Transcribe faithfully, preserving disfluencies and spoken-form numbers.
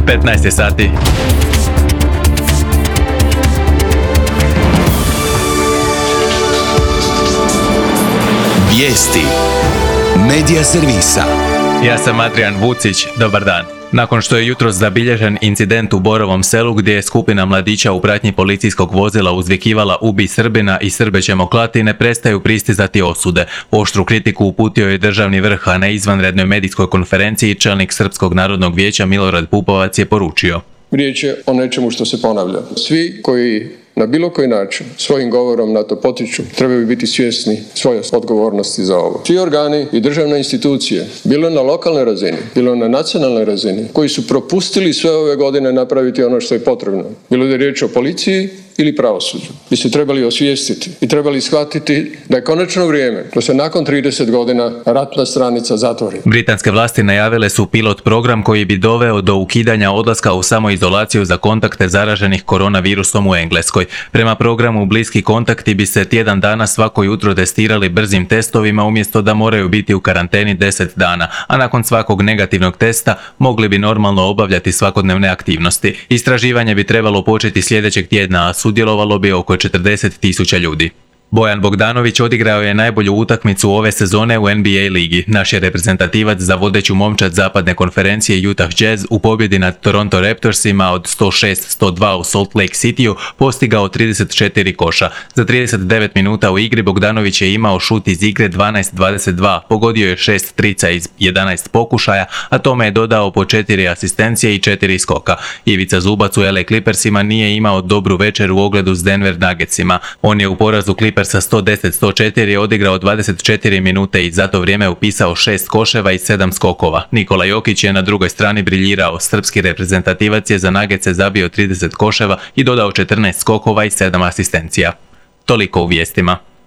petnaest je sati. Vijesti Medija servisa. Ja sam Adrian Vucić, dobar dan. Nakon što je jutros zabilježen incident u Borovom Selu gdje je skupina mladića u pratnji policijskog vozila uzvikivala "Ubi Srbina" i "Srbe ćemo klati", ne prestaju pristizati osude. Oštru kritiku uputio je državni vrh, a na izvanrednoj medijskoj konferenciji čelnik Srpskog narodnog vijeća Milorad Pupovac je poručio: Riječ je o nečemu što se ponavlja. Svi koji na bilo koji način svojim govorom na to potiču trebaju biti svjesni svoje odgovornosti za ovo. Svi organi i državne institucije, bilo na lokalnoj razini, bilo na nacionalnoj razini, koji su propustili sve ove godine napraviti ono što je potrebno, bilo da je riječ o policiji ili pravosuđu, bi se trebali osvijestiti i trebali shvatiti da je konačno vrijeme da se nakon trideset godina ratna stranica zatvori. Britanske vlasti najavile su pilot program koji bi doveo do ukidanja odlaska u samoizolaciju za kontakte zaraženih koronavirusom u Engleskoj. Prema programu bliski kontakti bi se tjedan dana svako jutro testirali brzim testovima umjesto da moraju biti u karanteni deset dana, a nakon svakog negativnog testa mogli bi normalno obavljati svakodnevne aktivnosti. Istraživanje bi trebalo početi sljedećeg tjedna, a sudjelovalo bi oko četrdeset tisuća ljudi. Bojan Bogdanović odigrao je najbolju utakmicu ove sezone u N B A ligi. Naš je reprezentativac za vodeću momčad zapadne konferencije Utah Jazz u pobjedi nad Toronto Raptorsima od sto šest sto dva u Salt Lake Cityu postigao trideset četiri koša. Za trideset devet minuta u igri Bogdanović je imao šut iz igre dvanaest dvadeset dva, pogodio je šest trica iz jedanaest pokušaja, a tome je dodao po četiri asistencije i četiri skoka. Ivica Zubac u L A Clippersima nije imao dobru večer u ogledu s Denver Nuggetsima. On je u porazu Clippers sa sto deset sto četiri odigrao dvadeset četiri minute i za to vrijeme upisao šest koševa i sedam skokova. Nikola Jokić je na drugoj strani briljirao. Srpski reprezentativac je za Nuggetse zabio trideset koševa i dodao četrnaest skokova i sedam asistencija. Toliko u vijestima.